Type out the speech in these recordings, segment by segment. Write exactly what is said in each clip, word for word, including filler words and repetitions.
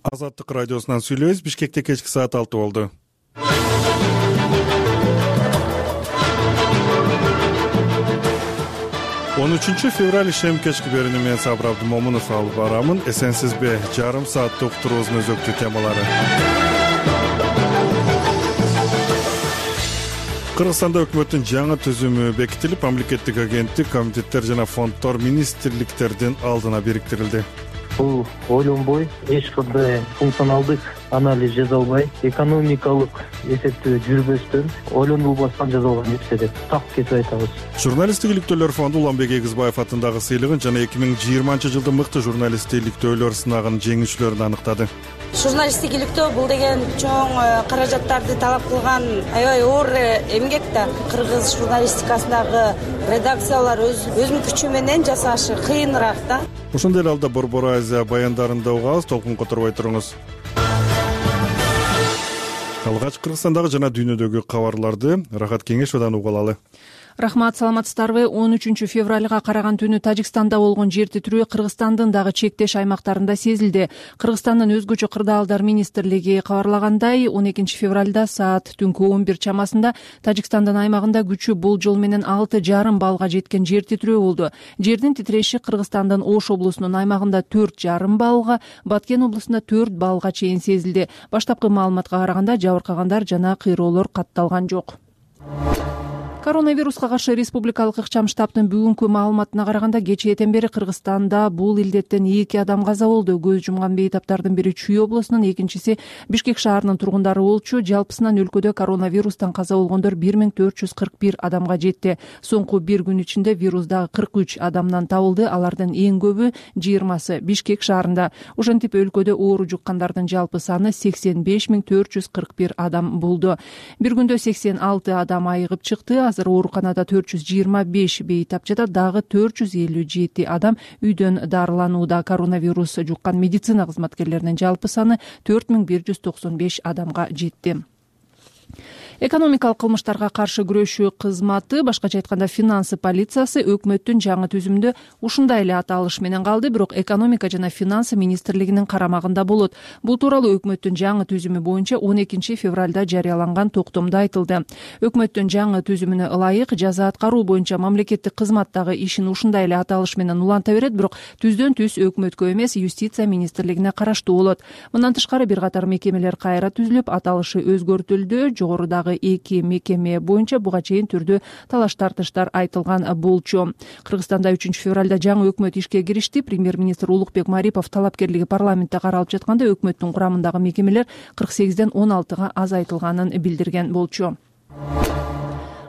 Азаттык радиосунан сүйлөйбүз. Бишкекте кечки саат алты болду. он үчүнчү февраль ишем кечки берүүнү мен Сабыр Абдымомунов алып барамын. Эсенсизби? Жарым сааттык уктуруубуздун өзөктүү темалары. Кыргызстанда өкмөттүн жаңы түзүмү бекитилип, мамлекеттик агенттик, комитеттер жана фонддор министрликтердин алдына бириктирилди. Бул ойлонбой, эч кандай функционалдык анализ жасалбай, экономикалык эсептөө жүрбөстөн, ойлонулбастан жасалган нерсе деп так кетип айтабыз. Журналисттик иликтөөлөр фонду Уланбек Эгизбаев атындагы сыйлыгын жана эки миң жыйырманчы жылдын мыкты журналисттик иликтөөлөр сынагынын жеңүүчүлөрүн аныктады. Журналисттик иликтөө бул деген чоң каражаттарды талап кылган аябай оор эмгек да. Кыргыз журналистикасындагы редакциялар өз өзүнүн күчү менен жасашы кыйыныраак да. Ошондой эле алда Борбор Азия баяндарында угабыз, толкун которбой туруңуз. Алгач Кыргызстандагы жана дүйнөдөгү кабарларды Рахат Кеңешовдон угуп алалы. Рахмат, саламатсыздарбы? он үчүнчү февралга караган түнү Тажикстанда болгон жер титирөө Кыргызстандын дагы чектеш аймактарында сезилди. Кыргызстандын өзгөчө кырдаалдар министрлиги кабарлагандай, он экинчи февралда саат түнкү он бир чамасында Тажикстандын аймагында күчү болжол менен алты жарым баллга жеткен жер титирөө болду. Жердин титиреши Кыргызстандын Ош облусунун аймагында төрт жарым баллга, Баткен облусунда төрт баллга чейин сезилди. Баштапкы маалыматка караганда жабыркагандар жана кыйроолор катталган жок. Коронавируска каршы республикалык ыкчам штабтын бүгүнкү маалыматына караганда кечээден бери Кыргызстанда бул илдеттен эки адам каза болду. Көз жумган бейтаптардын бири Чүй облусунун, экинчиси Бишкек шаарынын тургундары болчу. Жалпысынан өлкөдө коронавирустан каза болгондор бир миң төрт жүз кырк бир адамга жетти. Соңку бир күн ичинде вирус дагы кырк үч адамдан табылды. Алардын эң көбү жыйырмасы Бишкек шаарында. Ошентип өлкөдө оору жуккандардын жалпы саны сексен беш миң төрт жүз кырк бир адам болду. Бир күндө сексен алты адам айыгып чыкты. Азыр ооруканада төрт жүз жыйырма беш бейтап жатат, дагы төрт жүз элүү жети адам үйдөн дарыланууда. Коронавирус жуккан медицина кызматкерлеринин жалпы саны төрт миң бир жүз токсон беш адамга жетти. Экономикалык кылмыштарга каршы күрөшүү кызматы, башкача айтканда финансы полициясы, өкмөттүн жаңы түзүмүндө ушундай эле аталыш менен калды, бирок экономика жана финансы министрлигинин карамагында болот. Бул тууралуу өкмөттүн жаңы түзүмү боюнча он экинчи февралда жарыяланган токтомдо айтылды. Өкмөттүн жаңы түзүмүнө ылайык жаза аткаруу боюнча мамлекеттик кызматтагы ишин ушундай эле аталыш менен уланта берет, бирок түздөн түз өкмөткө эмес, юстиция министрлигине караштуу болот. Мындан тышкары бир катар мекемелер кайра түзүлүп, аталышы өзгөртүлдү. Жогорудагы эки мекеме боюнча буга чейин түрдүү талаш тартыштар айтылган болчу. Кыргызстанда үчүнчү февралда жаңы өкмөт ишке киришти. Премьер-министр Улукбек Марипов талапкерлиги парламентте каралып жатканда өкмөттүн курамындагы мекемелер кырк сегизден он алтыга азайтылганын билдирген болчу.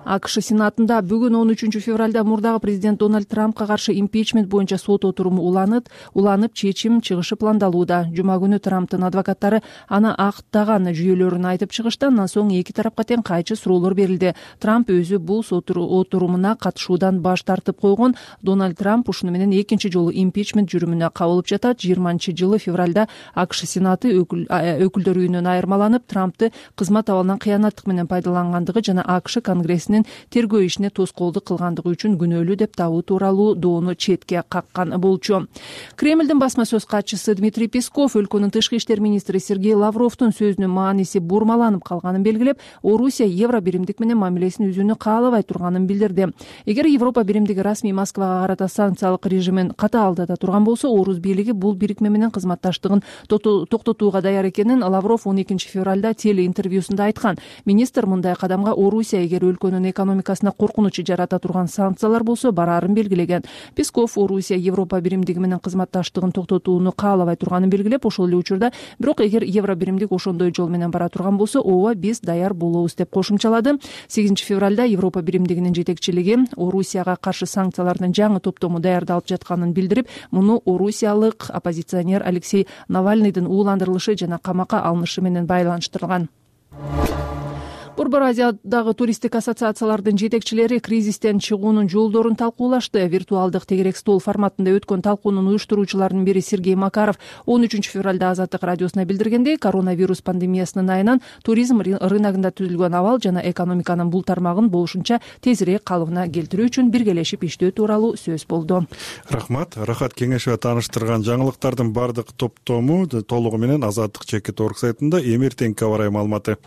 АКШ Сенатында бүгүн он үчүнчү февралда мурдагы президент Дональд Трампка каршы импичмент боюнча сот отуруму уланып, уланып чечим чыгышы пландалууда. Жума күнү Трамптын адвокаттары аны актаган жүйөлөрүн айтып чыгышты. Андан соң эки тарапка тең кайчы суроолор берилди. Трамп өзү бул сот отурумуна катышуудан баш тартып койгон. Дональд Трамп ушуну менен экинчи жолу импичмент жүрүмүнө кабылып жатат. жыйырманчы жылы февралда АКШ Сенаты өкүлдөр үйүнөн айырмаланып, Трампты кызмат абалынан кыянаттык менен пайдалангандыгы жана АКШ Конгрессинин тергөө ишине тоскоолдук кылгандыгы үчүн күнөөлүү деп табуу тууралуу доону четке каккан болчу. Кремлдин басма сөз катчысы Дмитрий Песков өлкөнүн тышкы иштер министри Сергей Лавровдун сөзүнүн мааниси бурмаланып калганын белгилеп, Орусия евро биримдик менен мамилесин үзүүнү каалабай турганын билдирди. Эгер Европа биримдиги расмий Москвага карата санкциялык режимин катаалдата турган болсо, Орус бийлиги бул бирикме менен кызматташтыгын токтотууга даяр экенин Лавров он экинчи февралда телеинтервьюсунда айткан. Министр мындай кадамга Орусия эгер өлкөнүн экономикасына коркунуч жарата турган санкциялар болсо бараарын белгилеген. Песков Орусия Европа биримдиги менен кызматташтыгын токтотууну каалабай турганын белгилеп, ошол эле учурда бирок эгер евро биримдик ошондой жол менен бара турган болсо, ооба биз даяр болобуз деп кошумчалады. сегизинчи февралда Европа биримдигинин жетекчилиги Орусияга каршы санкциялардын жаңы топтому даярдалып жатканын билдирип, муну орусиялык оппозиционер Алексей Навальныйдын ууландырылышы жана камакка алынышы менен байланыштырган. Борбор Азиядагы туристтик ассоциациялардын жетекчилери кризистен чыгуунун жолдорун талкуулашты. Виртуалдык тегерек стол форматында өткөн талкуунун уюштуруучуларынын бири Сергей Макаров он үчүнчү февралда Азаттык радиосуна билдиргендей, коронавирус пандемиясынын айынан туризм рыногунда түзүлгөн абал жана экономиканын бул тармагын болушунча тезирээк калыбына келтирүү үчүн биргелешип иштөө тууралуу сөз болду. Рахмат. Рахат кеңешева тааныштырган жаңылыктардын бардык топтому толугу менен Азаттык чекит орг сайтында эми эртеңки аба ырайы маалыматы.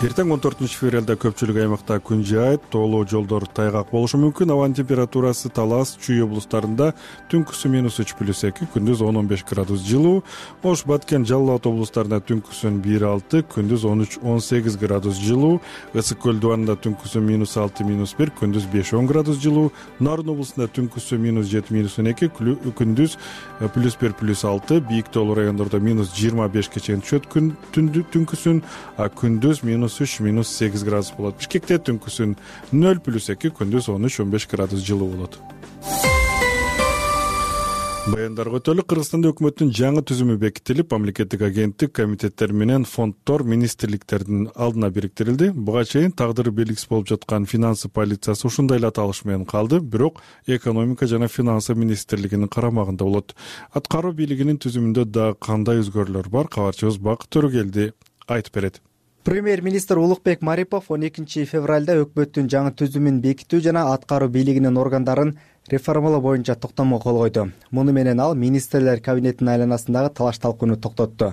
Эртең он төртүнчү февралда көпчүлүк аймакта күн жаайт, тоолуу жолдор тайгак болушу мүмкүн. Абанын температурасы Талас, Чүй облустарында түнкүсүн минус үч плюс эки, күндүз он он беш градус жылуу. Ош, Баткен, Жалал Абад облустарында түнкүсүн бир алты, күндүз он үч он сегиз градус жылуу. Ысык көл дубанында түнкүсүн минус алты минус бир, күндүз беш он градус жылуу. Нарын облусунда түнкүсүн минус жети минус он эки, күндүз плюс бир плюс алты. Бийик тоолуу райондордо минус жыйырма бешке чейин түшөт түнкүсүн, а күндүз минус үч минус сегиз градус болот. Бишкекте түнкүсүн нөл плюс эки, күндүз он үч он беш градус жылуу болот. Баяндарга өтөлүк. Кыргызстанда өкмөттүн жаңы түзүмү бекитилип, мамлекеттик агенттик, комитеттер менен фонддор министрликтердин алдына бириктирилди. Буга чейин тагдыры белгисиз болуп жаткан финансы полициясы ушундай эле аталыш менен калды, бирок экономика жана финансы министрлигинин карамагында болот. Аткаруу бийлигинин түзүмүндө да кандай өзгөрүүлөр бар? Кабарчыбыз Бакыт Төрөгелди айтып берет. Премьер-министр Улукбек Марипов он экинчи февралда өкмөттүн жаңы түзүмүн бекитүү жана аткаруу бийлигинин органдарын реформалоо боюнча токтомго кол койду. Муну менен ал министрлер кабинетинин айланасындагы талаш талкууну токтотту.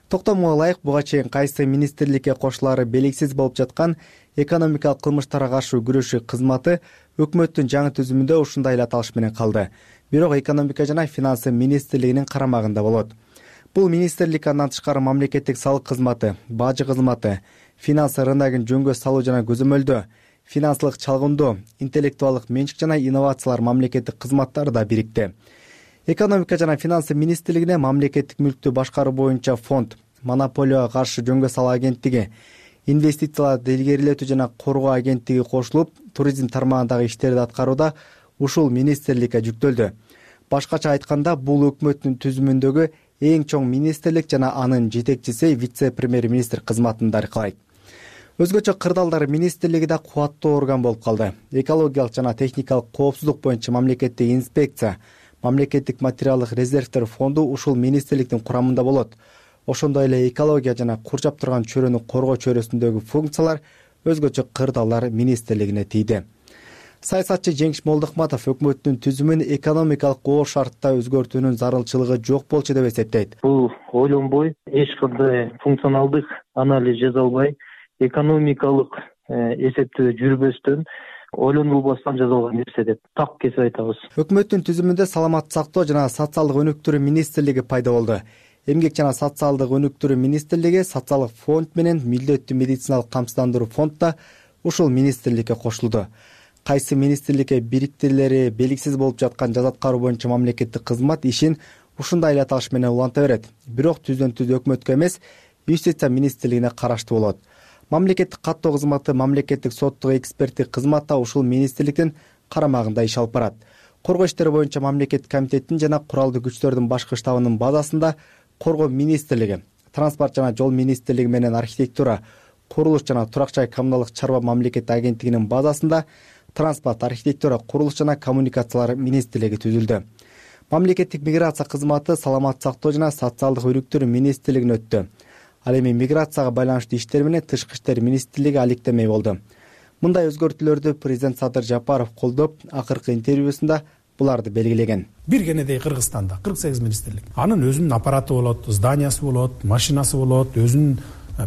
Токтомго ылайык буга чейин кайсы министрликке кошулаары белгисиз болуп жаткан экономикалык кылмыштарга каршы күрөшүү кызматы өкмөттүн жаңы түзүмүндө ушундай эле аталыш менен калды. Бирок экономика жана финансы министрлигинин карамагында болот. Бул министрлик андан тышкары мамлекеттик салык кызматы, бажы кызматы, финансы рыногун жөнгө салуу жана көзөмөлдөө, финансылык чалгындоо, интеллектуалдык менчик жана инновациялар мамлекеттик кызматтары да бирикти. Экономика жана финансы министрлигине мамлекеттик мүлктү башкаруу боюнча фонд, монополияга каршы жөнгө салуу агенттиги, инвестицияларды илгерилетүү жана коргоо агенттиги кошулуп, туризм тармагындагы иштерди аткарууда ушул министрликке жүктөлдү. Башкача айтканда, бул өкмөттүн түзүмүндөгү эң чоң министрлик жана анын жетекчиси вице-премьер-министр кызматын даркалайт. Өзгөчө кырдаалдар министрлиги да кубаттуу орган болуп калды. Экологиялык жана техникалык коопсуздук боюнча мамлекеттик инспекция, мамлекеттик материалдык резервдер фонду ушул министрликтин курамында болот. Ошондой эле экология жана кур жаптырган чөйрөнү коргоо чөйрөсүндөгү функциялар өзгөчө кырдаалдар министрлигине тийди. Саясатчы Жеңиш Молдохматов өкмөттүн түзүмүн экономикалык оор шартта өзгөртүүнүн зарылчылыгы жок болчу деп эсептейт. Бул ойлонбой, эч кандай функционалдык анализ жасалбай, экономикалык эсептөө жүрбөстөн, ойлонулбастан жасалган нерсе деп так кесип айтабыз. Өкмөттүн түзүмүндө саламаттык сактоо жана социалдык өнүктүрүү министрлиги пайда болду. Эмгек жана социалдык өнүктүрүү министрлиги, социалдык фонд менен милдеттүү медициналык камсыздандыруу фонд да ушул министрликке кошулду. Кайсы министрликке бириктирилери белгисиз болуп жаткан жаза аткаруу боюнча мамлекеттик кызмат ишин ушундай эле аталыш менен уланта берет. Бирок түздөн түз өкмөткө эмес, юстиция министрлигине караштуу болот. Мамлекеттик каттоо кызматы, мамлекеттик соттук эксперттик кызмат да ушул министрликтин карамагында иш алып барат. Коргоо иштери боюнча мамлекеттик комитеттин жана куралдуу күчтөрдүн башкы штабынын базасында коргоо министрлиги, транспорт жана жол министрлиги менен архитектура, курулуш жана турак жай коммуналдык чарба мамлекеттик агенттигинин базасында транспорт, архитектура, курулуш жана коммуникациялар министрлиги түзүлдү. Мамлекеттик миграция кызматы саламаттык сактоо жана социалдык өнүктүрүү министрлигине өттү. Ал эми миграцияга байланыштуу иштер менен тышкы иштер министрлиги алектемей болду. Мындай өзгөртүүлөрдү президент Садыр Жапаров колдоп, акыркы интервьюсунда буларды белгилеген. Бир кенедей Кыргызстанда кырк сегиз министрлик. Анын өзүнүн аппараты болот, зданиясы болот, машинасы болот, өзүнүн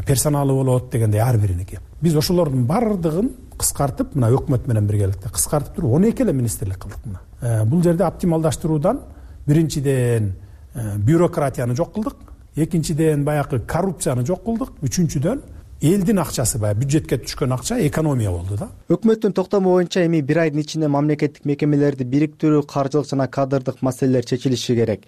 персоналы болот дегендей ар бириники. Биз ошолордун бардыгын кыскартып, мына өкмөт менен биргеликте кыскартып туруп он эки эле министрлик кылдык мына. Э, бул жерде оптималдаштыруудан биринчиден э, бюрократияны жок кылдык, экинчиден баягы коррупцияны жок кылдык, үчүнчүдөн элдин акчасы баягы бюджетке түшкөн акча экономия болду да. Өкмөттүн токтому боюнча эми бир айдын ичинде мамлекеттик мекемелерди бириктирүү, каржылык жана кадрдык маселелер чечилиши керек.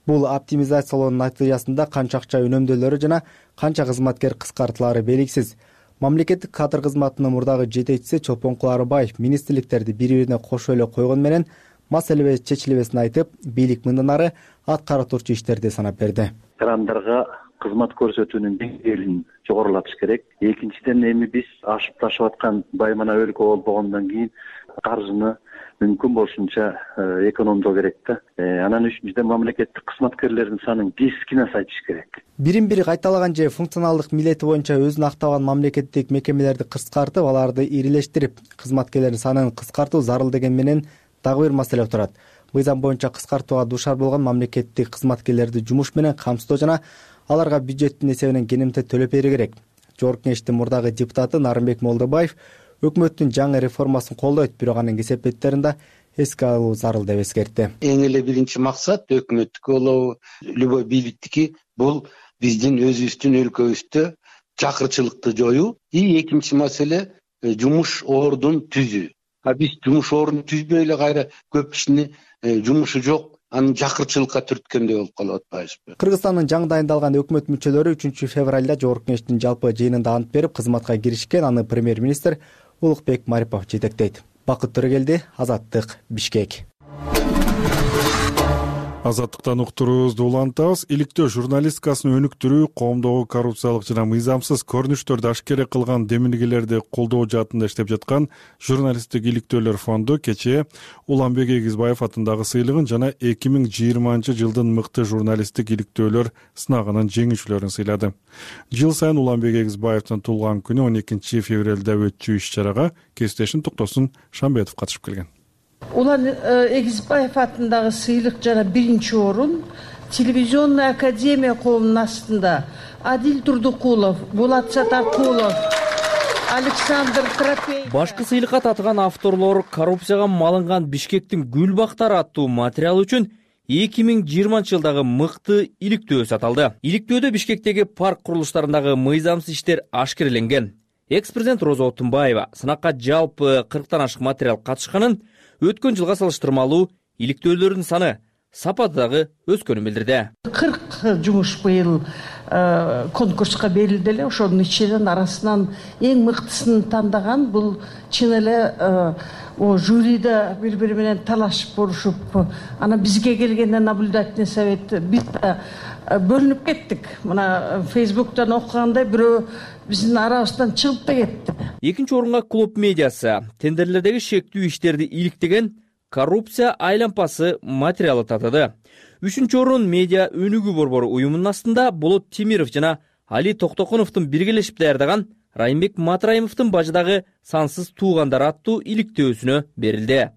Бул оптимизациялоонун натыйжасында канча акча үнөмдөлөрү жана канча кызматкер кыскартылаары белгисиз. Мамлекеттик кадр кызматынын мурдагы жетекчиси Чолпонкул Арыбаев министрликтерди бири-бирине кошо эле койгон менен маселе чечилбесин айтып, бийлик мындан ары аткара турчу иштерди санап берди. Крандарга кызмат көрсөтүүнүн деңгээлин жогорулатыш керек. Экинчиден, эми биз ашып ташып аткан баймана өлкө болбогондон кийин каржыны мүмкүн болушунча экономдоо керек да. Анан үчүнчүдөн, мамлекеттик кызматкерлердин санын кескин азайтыш керек. Бирин бири кайталаган же функционалдык милдети боюнча өзүн актабаган мамлекеттик мекемелерди кыскартып, аларды ирилештирип, кызматкерлердин санын кыскартуу зарыл деген менен дагы бир маселе турат. Мыйзам боюнча кыскартууга дуушар болгон мамлекеттик кызматкерлерди жумуш менен камсыздоо жана аларга бюджеттин эсебинен кенемтет төлөп берүү керек. Жогорку Кеңештин мурдагы депутаты Нарымбек Молдобаев өкмөттүн жаңы реформасын колдойт, бирок анын кесепеттерин да эске алуу зарыл деп эскертти. Эң эле биринчи максат өкмөттүкү болобу, любой бийликтики бул биздин өзүбүздүн өлкөбүздө жакырчылыкты жоюу. И экинчи маселе жумуш ордун түзүү. А биз жумуш ордун түзбөй эле кайра көп кишини жумушу жок, анын жакырчылыкка түрткөндөй болуп калып атпайбызбы? Кыргызстандын жаңы дайындалган өкмөт мүчөлөрү үчүнчү февралда Жогорку Кеңештин жалпы жыйынында ант берип кызматка киришкен. Аны премьер-министр Улукбек Марипов жетектейт. Бакыт Төрөгелди, Азаттык, Бишкек. Азаттыктан уктуруубузду улантабыз. Иликтөө журналистикасын өнүктүрүү, коомдогу коррупциялык жана мыйзамсыз көрүнүштөрдү ашкере кылган демилгелерди колдоо жаатында иштеп жаткан журналисттик иликтөөлөр фонду кечээ Уланбек Эгизбаев атындагы сыйлыгын жана эки миң жыйырманчы жылдын мыкты журналисттик иликтөөлөр сынагынын жеңүүчүлөрүн сыйлады. Жыл сайын Уланбек Эгизбаевдин туулган күнү он экинчи февралда өтчү иш-чарага кесиптешим Токтосун Шамбетов катышып келген. Улан Эгизбаев атындагы сыйлык жана биринчи орун телевизионный академия коомунун астында Адил Турдукулов, Булат Сатаркулов, Александр Тропей. Башкы сыйлыкка татыган авторлор коррупцияга малынган Бишкектин гүл бактары аттуу материал үчүн эки миң жыйырманчы жылдагы мыкты иликтөө саталды. Иликтөөдө Бишкектеги парк курулуштарындагы мыйзамсыз иштер ашкереленген. Экс-президент Роза Отунбаева сынакка жалпы кырктан ашык материал катышканын, өткөн жылга салыштырмалуу иликтөөлөрдүн саны, сапаты дагы өскөнүн билдирди. кырк жумуш быйыл конкурска берилди эле. Ошонун ичинен арасынан эң мыктысын тандаган бул чын эле о жюриде бири-бири менен талашып борушуп, анан бизге келгенде наблюдательный совет биз бөлүнүп кеттик. Мына Фейсбуктан окугандай бирөө биздин арабыздан чыгып да кетти. Экинчи орунга клуб медиасы тендерлердеги шектүү иштерди иликтеген коррупция айлампасы материалы татыды. Үчүнчү орун медиа өнүгүү борбору уюмунун астында Болот Темиров жана Али Токтокуновдун биргелешип даярдаган Райымбек Матраимовдун бажыдагы сансыз туугандар аттуу иликтөөсүнө берилди.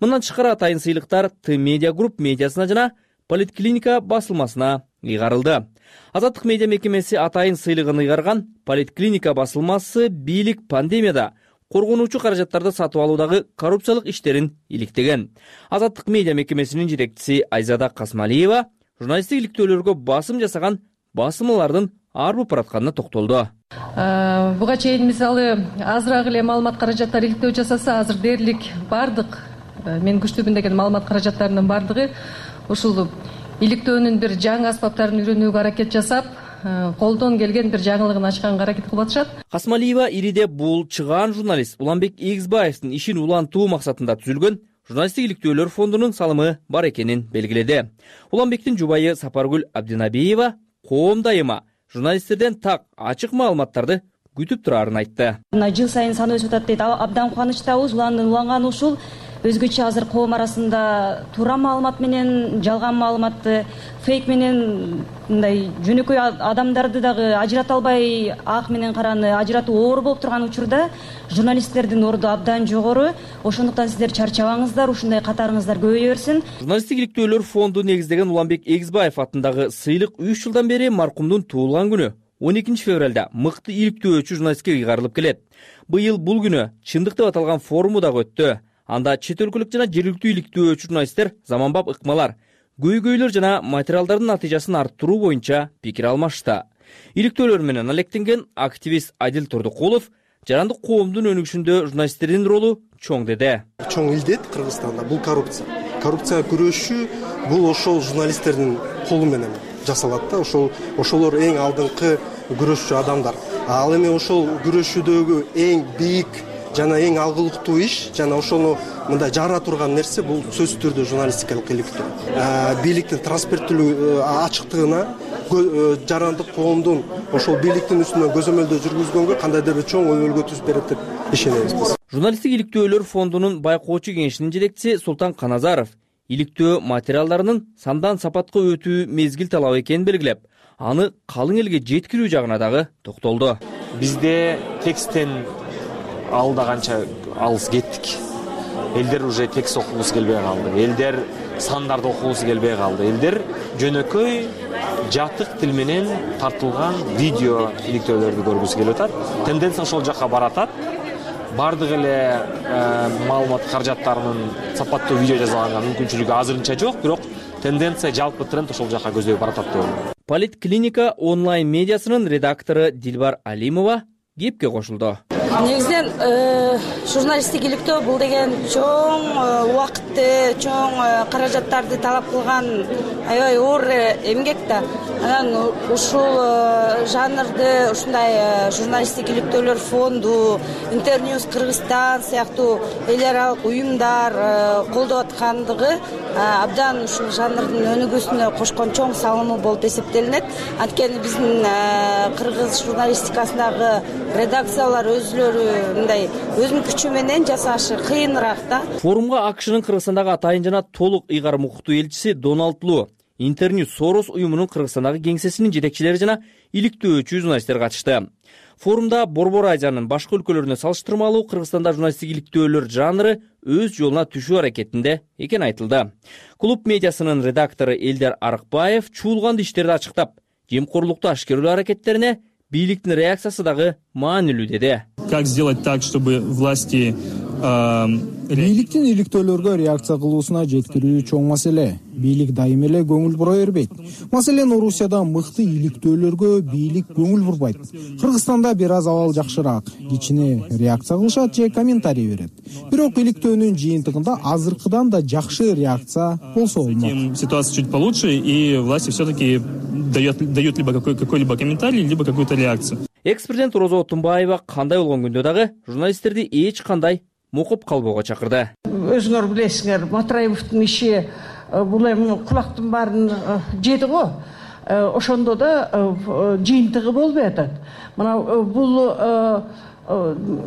Мындан тышкары атайын сыйлыктар Т медиа групп медиасына жана Политклиника басылмасына ыйгарылды. Азаттык медиа мекемеси атайын сыйлыгын ыйгарган Политклиника басылмасы бийлик пандемияда коргонуучу каражаттарды сатып алуудагы коррупциялык иштерин иликтеген. Азаттык медиа мекемесинин жетекчиси Айзада Касмалиева журналисттик иликтөөлөргө басым жасаган басымалардын арбып баратканына токтолду. Буга чейин мисалы азыраак эле маалымат каражаттары иликтөө жасаса, азыр дээрлик бардык мен күчтүүмүн деген маалымат каражаттарынын бардыгы ушул иликтөөнүн бир жаңы аспаптарын үйрөнүүгө аракет жасап, колдон келген бир жаңылыгын ачканга аракет кылып атышат. Касмалиева ириде бул чыгаан журналист Уланбек Эгизбаевдин ишин улантуу максатында түзүлгөн журналисттик иликтөөлөр фондунун салымы бар экенин белгиледи. Уланбектин жубайы Сапаргүл Абдинабиева коом дайыма журналисттерден так ачык маалыматтарды күтүп турарын айтты. Жыл сайын саны өсүп атат дейт. Абдан кубанычтабыз. Уланган ушул өзгөчө азыр коом арасында туура маалымат менен жалган маалыматты, фейк менен мындай жөнөкөй адамдарды дагы ажырата албай, ак менен караны ажыратуу оор болуп турган учурда журналисттердин орду абдан жогору. Ошондуктан сиздер чарчабаңыздар, ушундай катарыңыздар көбөйө берсин. Журналисттик иликтөөлөр фонду негиздеген Уланбек Эгизбаев атындагы сыйлык үч жылдан бери маркумдун туулган күнү он экинчи февралда мыкты иликтөөчү журналистке ыйгарылып келет. Быйыл бул күнү чындык деп аталган форуму дагы өттү. Анда чет өлкөлүк жана жергиликтүү иликтөөчү журналисттер заманбап ыкмалар, көйгөйлөр жана материалдардын натыйжасын арттыруу боюнча пикир алмашты. Иликтөөлөр менен алектенген активист Адил Турдукулов жарандык коомдун өнүгүшүндө журналисттердин ролу чоң деди. Чоң илдет Кыргызстанда бул коррупция. Коррупцияга күрөшүү бул ошол журналисттердин колу менен жасалат да. Ошол ошолор эң алдыңкы күрөшчү адамдар. Ал эми ошол күрөшүүдөгү эң бийик жана эң алгылыктуу иш жана ошону мындай жара турган нерсе бул сөзсүз түрдө журналистикалык иликтөө. Бийликтин транспаренттүүлүгү, ачыктыгына жарандык коомдун ошол бийликтин үстүнөн көзөмөлдөө жүргүзгөнгө кандайдыр бир чоң өбөлгө түзүп берет деп ишенебиз биз. Журналисттик иликтөөлөр фондунун байкоочу кеңешинин жетекчиси Султан Каназаров иликтөө материалдарынын сандан сапатка өтүү мезгил талабы экенин белгилеп, аны калың элге жеткирүү жагына дагы токтолду. Бизде тексттен алда канча алыс кеттик. Элдер уже текст окугусу келбей калды. Элдер сандарды окугусу келбей калды. Элдер жөнөкөй жатык тил менен тартылган видео иликтөөлөрдү көргүсү келип атат. Тенденция ошол жакка баратат. Бардык эле маалымат каражаттарынын сапаттуу видео жазганга мүмкүнчүлүгү азырынча жок, бирок тенденция жалпы тренд ошол жакка көздөй баратат деп ойлойм. Политклиника онлайн медиасынын редактору Дилбар Алимова кепке кошулду. Негизинен журналисттик иликтөө бул деген чоң убакытты, чоң каражаттарды талап кылган аябай оор эмгек да. Анан ушул жанрды ушундай журналисттик иликтөөлөр фонду, Интерньюз Кыргызстан сыяктуу эл аралык уюмдар колдоп аткандыгы абдан ушул жанрдын өнүгүүсүнө кошкон чоң салымы болуп эсептелинет. Анткени биздин кыргыз журналистикасындагы редакциялар өзүлөрү мындай өзүнүн күчү менен жасашы кыйыныраак да. Форумга АКШнын Кыргызстандагы атайын жана толук ыйгарым укуктуу элчиси Дональд Лу, Интерньюз Сорос уюмунун Кыргызстандагы кеңсесинин жетекчилери жана иликтөөчү журналисттер катышты. Форумда Борбор Азиянын башка өлкөлөрүнө салыштырмалуу Кыргызстанда журналисттик иликтөөлөр жанры өз жолуна түшүү аракетинде экени айтылды. Клуб медиасынын редактору Элдер Арыкбаев чуулган иштерди ачыктап, жемкорлукту ашкерелөө аракеттерине бийликтин реакциясы дагы маанилүү деди. Как сделать так, чтобы власти бийликтин иликтөөлөргө реакция кылуусуна жеткирүү чоң маселе. Бийлик дайым эле көңүл бура бербейт. Маселен, Орусияда мыкты иликтөөлөргө бийлик көңүл бурбайт. Кыргызстанда бир аз абал жакшыраак, кичине реакция кылышат же комментарий берет. Бирок иликтөөнүн жыйынтыгында азыркыдан да жакшы реакция болсо болмок. Ситуация чуть получше, и власти все-таки дает дают либо какой какой-либо комментарий, либо какую-то реакцию. Экс-президент Роза Отунбаева кандай болгон күндө дагы журналисттерди эч кандай мукуп калбоого чакырды. Өзүңөр билесиңер, Матраевдин иши бул эми кулактын баарын жеди го. Ошондо да жыйынтыгы болбой атат. Мына бул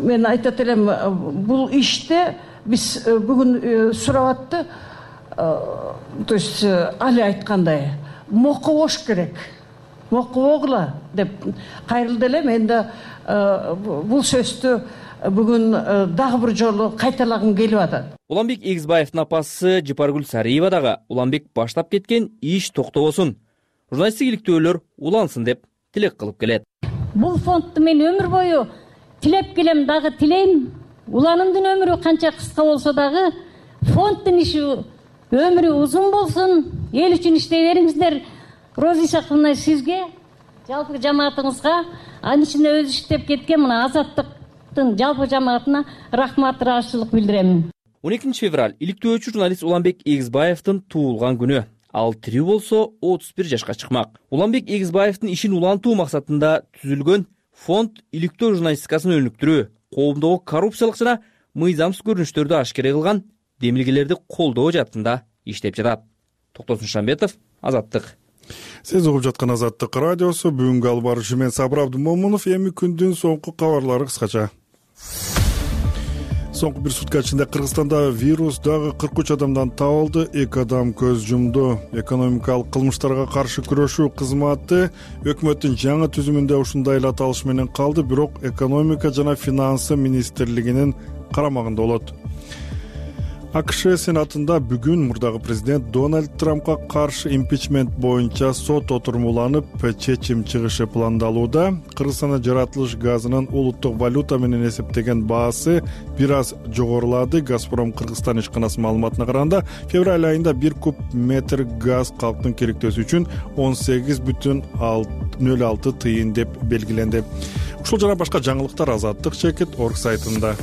мен айтат элем, бул иште биз бүгүн сурап атты, то есть али айткандай мокобош керек. Мокобогула деп кайрылды эле. Мен да бул сөздү бүгүн дагы бир жолу кайталагым келип атат. Уланбек Эгизбаевдин апасы Жапаргүл Сариева дагы Уланбек баштап кеткен иш токтобосун, журналисттик иликтөөлөр улансын деп тилек кылып келет. Бул фондду мен өмүр бою тилеп келем, дагы тилейм. Уланымдын өмүрү канча кыска болсо дагы фонддун иши өмүрү узун болсун. Эл үчүн иштей бериңиздер. Роза Исаковна, сизге, жалпы жамаатыңызга, анын ичинде өзү иштеп кеткен мына Азаттыктын жалпы жамаатына рахмат, ыраазычылык билдирем. он экинчи февраль иликтөөчү журналист Уланбек Эгизбаевдин туулган күнү. Ал тирүү болсо отуз бир жашка чыкмак. Уланбек Эгизбаевдин ишин улантуу максатында түзүлгөн фонд иликтөө журналистикасын өнүктүрүү, коомдогу коррупциялык жана мыйзамсыз көрүнүштөрдү ашкере кылган демилгелерди колдоо жаатында иштеп жатат. Токтосун Шамбетов, Азаттык. Сиз угуп жаткан Азаттык радиосу. Бүгүнкү алып баруучу мен Сабыр Абдымомунов. Эми күндүн соңку кабарлары кыскача. Соңку бир сутка ичинде Кыргызстанда вирус дагы кырк үч адамдан табылды. Эки адам көз жумду. Экономикалык кылмыштарга каршы күрөшүү кызматы өкмөттүн жаңы түзүмүндө ушундай эле аталыш менен калды, бирок экономика жана финансы министрлигинин карамагында болот. АКШ Сенатында бүгүн мурдагы президент Дональд Трампка каршы импичмент боюнча сот отурумуланып, чечим чыгышы пландалууда. Кыргызстанда жаратылыш газынын улуттук валюта менен эсептеген баасы бир аз жогорулады. Газпром Кыргызстан ишканасынын маалыматына караганда, февраль айында бир куб метр газ калктын керектөөсү үчүн он сегиз бүтүн нөл алты тыйын деп белгиленди. Ушул жана башка жаңылыктар Азаттык чекит орг сайтында.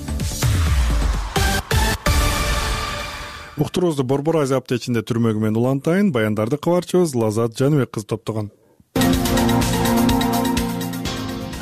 Уктуруубузду Борбор Азия аптечинде түрмөгү менен улантайын. Баяндарды кабарчыбыз Лазат Жаныбек кызы топтогон.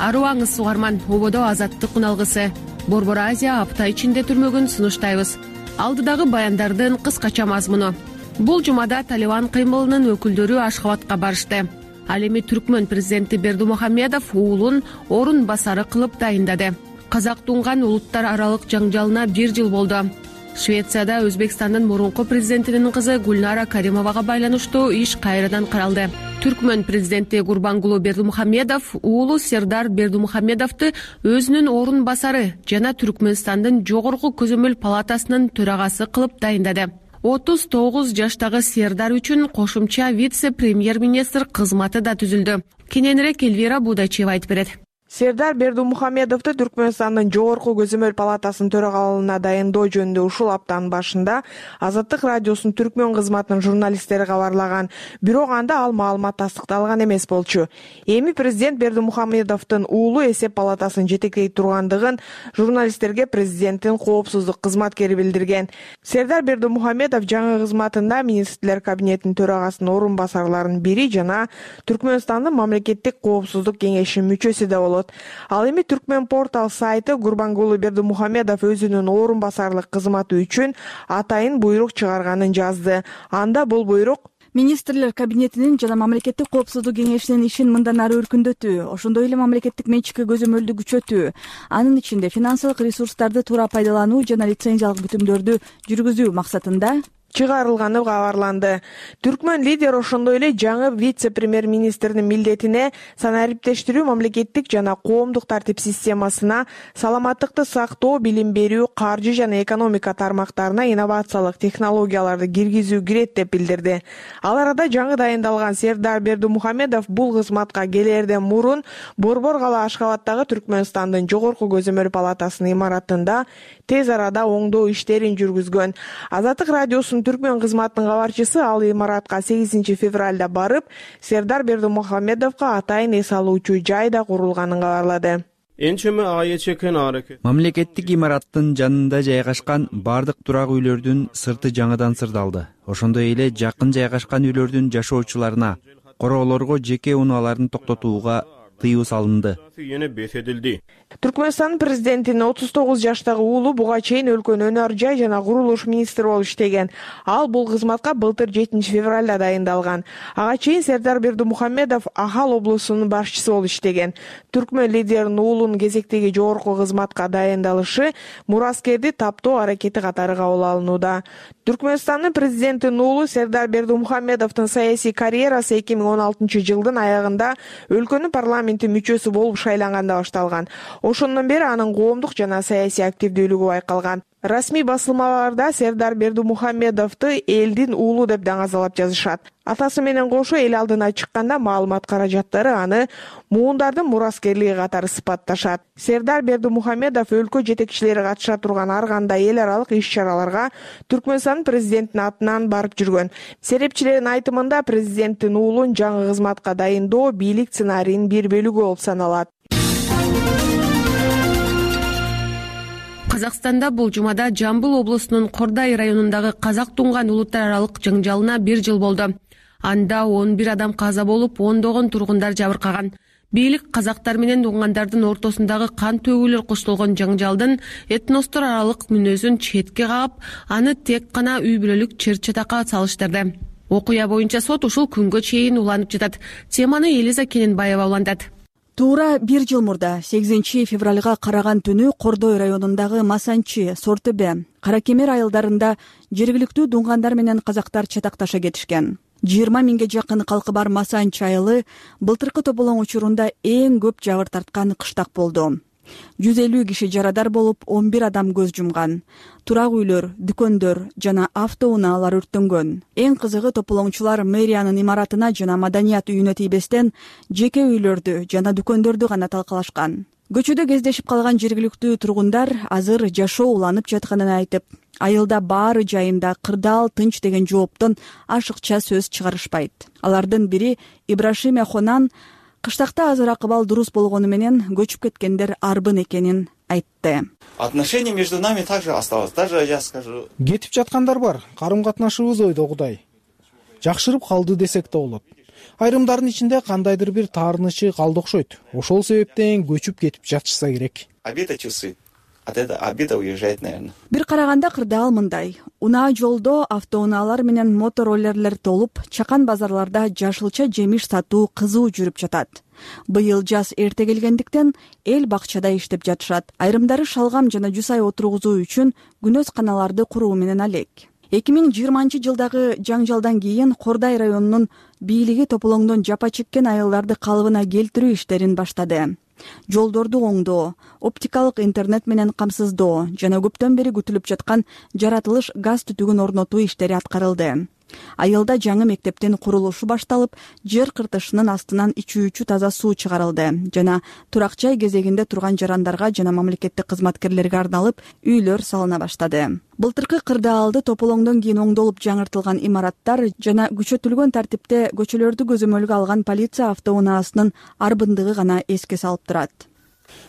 Арыбаңыз угарман, ободо азаттык уналгысы. Борбор Азия апта ичинде түрмөгүн сунуштайбыз. Алдыдагы баяндардын кыскача мазмуну. Бул жумада Талибан кыймылынын өкүлдөрү Ашхабадка барышты. Ал эми Түркмөн президенти Бердымухамедов уулун орун басары кылып дайындады. Казак тунган улуттар аралык жаңжалына бир жыл болду. Швецияда Өзбекстандын мурунку президентинин кызы Гульнара Каримовага байланыштуу иш кайрадан каралды. Түркмөн президенти Гурбангулу Бердымухамедов уулу Сердар Бердымухамедовду өзүнүн орун басары жана Түркмөнстандын жогорку көзөмөл палатасынын төрагасы кылып дайындады. отуз тогуз жаштагы Сердар үчүн кошумча вице-премьер-министр кызматы да түзүлдү. Кененирээк Эльвира Будачева айтып берет. Сердар Бердымухамедовду Түркмөнстандын жогорку көзөмөл палатасынын төрагалыгына дайындоо жөнүндө ушул аптанын башында Азаттык радиосунун Түркмөн кызматынын журналисттери кабарлаган. Бирок анда ал маалымат тастыкталган эмес болчу. Эми президент Бердымухамедовдун уулу эсеп палатасын жетектей тургандыгын журналисттерге президенттин коопсуздук кызматкери билдирген. Сердар Бердымухамедов жаңы кызматында министрлер кабинетинин төрагасынын орун басарларынын бири жана Түркмөнстандын мамлекеттик коопсуздук кеңешинин мүчөсү да болот. Ал эми Түркмөн портал сайты Гурбангулу Бердымухамедов өзүнүн орун басарлык кызматы үчүн атайын буйрук чыгарганын жазды. Анда бул буйрук министрлер кабинетинин жана мамлекеттик коопсуздук кеңешинин ишин мындан ары өркүндөтүү, ошондой эле мамлекеттик менчикке көзөмөлдү күчөтүү, анын ичинде финансылык ресурстарды туура пайдалануу жана лицензиялык бүтүмдөрдү жүргүзүү максатында чыгарылганы кабарланды. Түркмөн лидер ошондой эле жаңы вице-премьер-министрдин милдетине санариптештирүү, мамлекеттик жана коомдук тартип системасына, саламаттыкты сактоо, билим берүү, каржы жана экономика тармактарына инновациялык технологияларды киргизүү кирет деп билдирди. Ал арада жаңы дайындалган Сердар Бердымухамедов бул кызматка келерден мурун Борбор кала Ашкабадтагы Түркмөнстандын жогорку көзөмөл палатасынын имаратында тез арада оңдоо иштерин жүргүзгөн. Азаттык радиосунун Түркмөн кызматынын кабарчысы ал имаратка сегизинчи февралда барып, Сердар Бердымухамедовго атайын эс алуучу жай да курулганын кабарлады. Мамлекеттик имараттын жанында жайгашкан бардык турак үйлөрдүн сырты жаңыдан сырдалды. Ошондой эле жакын жайгашкан үйлөрдүн жашоочуларына, короолорго жеке унааларын токтотууга тыюу салынды. Түркмөнстандын президентинин отуз тогуз жаштагы уулу буга чейин өлкөнүн өнөр жай жана курулуш министри болуп иштеген. Ал бул кызматка былтыр жетинчи февралда дайындалган. Ага чейин Сердар Бердымухамедов Ахал облусунун башчысы болуп иштеген. Түркмөн лидеринин уулунун кезектеги жогорку кызматка дайындалышы мураскерди таптоо аракети катары кабыл алынууда. Түркмөнстандын президентинин уулу Сердар Бердымухамедовдун саясий карьерасы эки миң он алтынчы жылдын аягында өлкөнүн парламенти мүчөсү болуп шайланганда башталган. Ошондон бери анын коомдук жана саясий активдүүлүгү байкалган. Расмий басылмаларда Сердар Бердымухамедовду элдин уулу деп даңазалап жазышат. Атасы менен кошо эл алдына чыкканда маалымат каражаттары аны муундардын мураскерлиги катары сыпатташат. Сердар Бердымухамедов өлкө жетекчилери катыша турган ар кандай эл аралык иш-чараларга Түркмөнстандын президентинин атынан барып жүргөн. Серепчилердин айтымында президенттин уулун жаңы кызматка дайындоо бийлик сценарийинин бир бөлүгү болуп саналат. Казакстанда бул жумада Жамбыл облусунун Кордай районундагы казак тунган улуттар аралык жаңжалына бир жыл болду. Анда он бир адам каза болуп, ондогон тургундар жабыркаган. Бийлик казактар менен тунгандардын ортосундагы кан төгүүлөр коштолгон жаңжалдын этностор аралык мүнөзүн четке кагып, аны тек гана үй бүлөлүк чыр-чатакка салыштырды. Окуя боюнча сот ушул күнгө чейин уланып жатат. Теманы Элиза Кененбаева улантат. Туура бир жыл мурда сегизинчи февралга караган түнү Кордой районундагы Масанчи, Сортөбе, Каракемер айылдарында жергиликтүү туңгандар менен казактар чатакташа кетишкен. жыйырма миңге жакын калкы бар Масанчи айылы былтыркы тополоң учурунда эң көп жабыр тарткан кыштак болду. жүз элүү киши жарадар болуп, он бир адам көз жумган. Турак үйлөр, дүкөндөр жана автоунаалар өрттөнгөн. Эң кызыгы тополоңчулар мэриянын имаратына жана маданият үйүнө тийбестен жеке үйлөрдү жана дүкөндөрдү гана талкалашкан. Көчөдө кездешип калган жергиликтүү тургундар азыр жашоо уланып жатканын айтып, айылда баары жайында, кырдаал, тынч деген жооптон ашыкча сөз чыгарышпайт. Алардын бири Ибрашим Эхонан кыштакта азыр акыбал дурус болгону менен көчүп кеткендер арбын экенин айтты. Отношения между нами также осталось. Даже я скажу. Кетип жаткандар бар. Карым-катнашыбыз ойдогудай жакшырып калды десек да болот. Айрымдардын ичинде кандайдыр бир таарынычы калды окшойт. Ошол себептен көчүп кетип жатышса керек. А где-то часы. от этого обеда уезжает, наверное. Бир караганда кырдаал мындай: унаа жолдо автоунаалар менен мотороллерлер толуп, чакан базарларда жашылча жемиш сатуу кызуу жүрүп жатат. Быйыл жаз эрте келгендиктен эл бакчада иштеп жатышат. Айрымдары шалгам жана жуус ай отургузуу үчүн күнөз каналарды куруу менен алек. эки миң жыйырманчы жылдагы жаңжалдан кийин Кордай районунун бийлиги тополоңдон жапа чеккен айылдарды калыбына келтирүү иштерин баштады. Жолдорду оңдоо, оптикалык интернет менен камсыздоо жана көптөн бери күтүлүп жаткан жаратылыш газ түтүгүн орнотуу иштери аткарылды. Айылда жаңы мектептин курулушу башталып, жер кыртышынын астынан ичүүчү таза суу чыгарылды жана турак жай кезегинде турган жарандарга жана мамлекеттик кызматкерлерге арналып үйлөр салына баштады. Былтыркы кырдаалды тополоңдон кийин оңдолуп жаңыртылган имараттар жана күчөтүлгөн тартипте көчөлөрдү көзөмөлгө алган полиция автоунаасынын арбындыгы гана эске салып турат.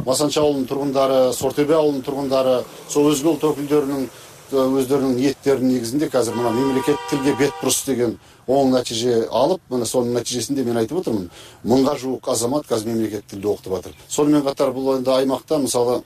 Масанчы ауылунун тургундары, Сортөбе ауылунун тургундары, сол өзгө улут өкүлдөрүнүн өздөрүнүн ниеттеринин негизинде азыр мына мемлекет тилге бет буруш деген оң натыйжа алып, мына сонун натыйжесинде мен айтып отурмун, мыңга жуук азамат азыр мемлекет тилде окутуп атат. Сонун менен катар бул эми аймакта мисалы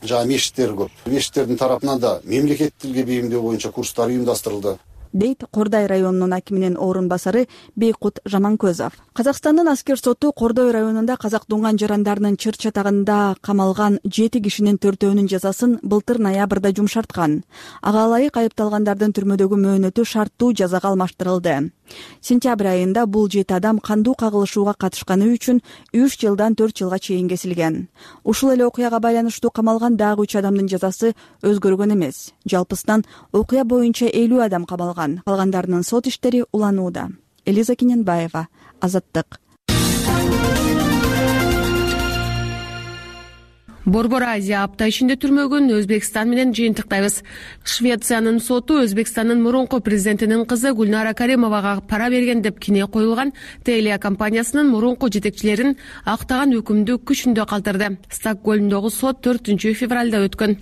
жана мешиттер көп. Мешиттердин тарапынан да мемлекет тилге бейимдөө боюнча курстар уюмдастырылды, дейт Кордай районунун акиминин орун басары Бейкут Жаманкөзов. Казакстандын аскер соту Кордой районунда казак дуңган жарандарынын чыр чатагында камалган жети кишинин төртөөнүн жазасын былтыр ноябрда жумшарткан. Ага ылайык айыпталгандардын түрмөдөгү мөөнөтү шарттуу жазага алмаштырылды. Сентябрь айында бул жети адам кандуу кагылышууга катышканы үчүн үч жылдан төрт жылга чейин кесилген. Ушул эле окуяга байланыштуу камалган дагы үч адамдын жазасы өзгөргөн эмес. Жалпысынан окуя боюнча элүү адам камалган. Калгандарынын сот иштери уланууда. Элиза Кененбаева, Азаттык. Борбор Азия апта ичинде түрмөгүн Өзбекстан менен жыйынтыктайбыз. Швециянын соту Өзбекстандын мурунку президентинин кызы Гүлнара Каримовага пара берген деп кине коюлган Телия компаниясынын мурунку жетекчилерин актаган өкүмдү күчүндө калтырды. Стокгольмдогу сот төртүнчү февралда өткөн.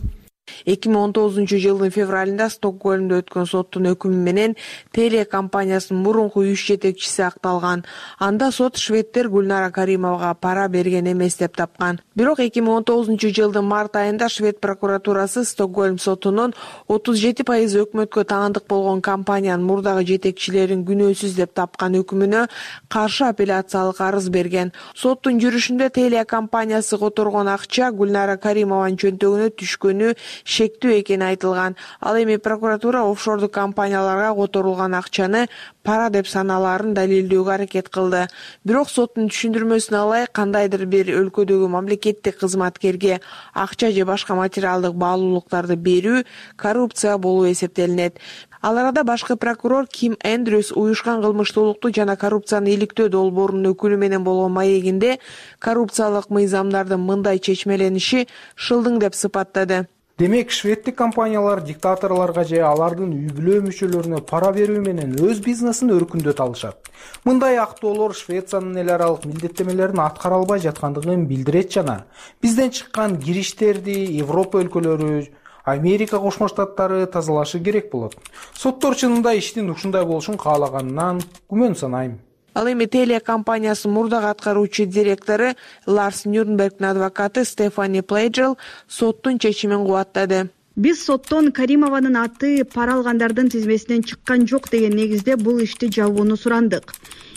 эки миң он тогузунчу жылдын февралында Стокгольмдо өткөн соттун өкүмү менен Теле компаниясынын мурунку үч жетекчиси акталган. Анда сот шведтер Гүлнара Каримовага пара берген эмес деп тапкан. Бирок эки миң он тогузунчу жылдын март айында швед прокуратурасы Стокгольм сотунун отуз жети пайыз өкмөткө таандык болгон компаниянын мурдагы жетекчилерин күнөөсүз деп тапкан өкүмүнө каршы апелляциялык арыз берген. Соттун жүрүшүндө Теле компаниясы которгон акча Гүлнара Каримованын чөнтөгүнө түшкөнү шектүү экени айтылган. Ал эми прокуратура офшордук компанияларга которулган акчаны пара деп санааларын далилдөөгө аракет кылды. Бирок соттун түшүндүрмөсүнө ылайык кандайдыр бир өлкөдөгү мамлекеттик кызматкерге акча же башка материалдык баалуулуктарды берүү коррупция болуп эсептелинет. Ал арада башкы прокурор Ким Эндрюс уюшкан кылмыштуулукту жана коррупцияны иликтөө долбоорунун өкүлү менен болгон маегинде коррупциялык мыйзамдардын мындай чечмелениши шылдың деп сыпаттады. Демек, шведтик компаниялар диктаторлорго же алардын үй бүлө мүчөлөрүнө пара берүү менен өз бизнесин өркүндөтө алышат. Мындай актоолор Швециянын эл аралык милдеттемелерин аткара албай жаткандыгын билдирет жана бизден чыккан кириштерди Европа өлкөлөрү, Америка Кошмо Штаттары тазалашы керек болот. Соттор чынында иштин ушундай болушун каалаганынан күмөн санайм. Ал эми Теле компаниясынын мурдагы аткаруучу директору Ларс Нюрнбергдин адвокаты Стефани Плейджел соттун чечимин кубаттады. Биз соттон Каримованын аты пара алгандардын тизмесинен чыккан жок деген негизде бул ишти жабууну сурандык.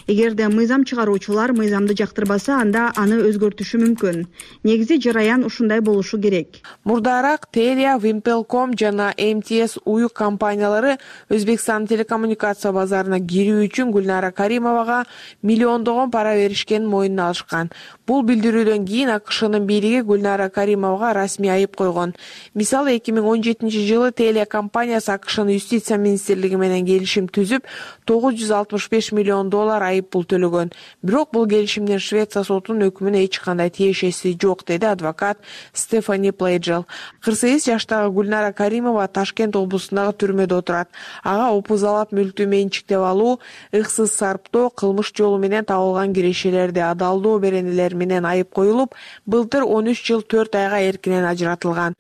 Эгерде мыйзам чыгаруучулар мыйзамды жактырбаса, анда аны өзгөртүшү мүмкүн. Негизи жараян ушундай болушу керек. Мурдараак Телия, Вимпелком жана эм ти эс уюк компаниялары Өзбекстан телекоммуникация базарына кирүү үчүн Гүлнара Каримовага миллиондогон пара беришкенин мойнуна алышкан. Бул билдирүүдөн кийин АКШнын бийлиги Гүлнара Каримовага расмий айып койгон. Мисалы эки миң он жетинчи жылы Теле компаниясы АКШнын юстиция министрлиги менен келишим түзүп, тогуз жүз алтымыш беш миллион доллар айып пул төлөгөн. Бирок бул келишимден Швеция сотунун өкүмүнө эч кандай тиешеси жок, деди адвокат Стефани Плейджел. кырк сегиз жаштагы Гүлнара Каримова Ташкент облусундагы түрмөдө отурат. Ага опузалап мүлктү менчиктеп алуу, ыксыз сарптоо, кылмыш жолу менен табылган кирешелерди адалдоо беренелер менен айып коюлуп, былтыр он үч жыл төрт айга эркинен ажыратылган.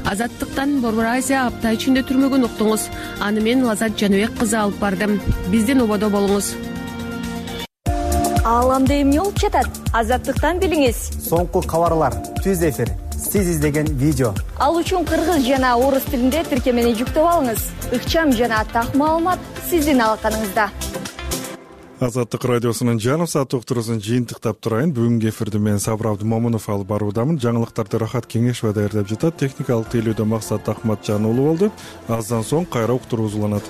Азаттыктан Борбор Азия апта ичинде түрмөгүн уктуңуз. Аны мен Лазат Жаныбек кызы алып бардым. Бизден ободо болуңуз. Ааламда эмне болуп жатат? Азаттыктан билиңиз. Соңку кабарлар, түз эфир, сиз издеген видео. Ал үчүн кыргыз жана орус тилинде тиркемени жүктөп алыңыз. Ыкчам жана так маалымат сиздин алаканыңызда. Азаттык радиосунун жарым саат уктуруусун жыйынтыктап турайын. Бүгүнкү эфирди мен Сабыр Абдымомунов алып баруудамын. Жаңылыктарды Рахат Кеңешова даярдап жатат. Техникалык тейлөөдө Максат Ахматжан уулу болду. Аздан соң кайра уктуруу узуланат.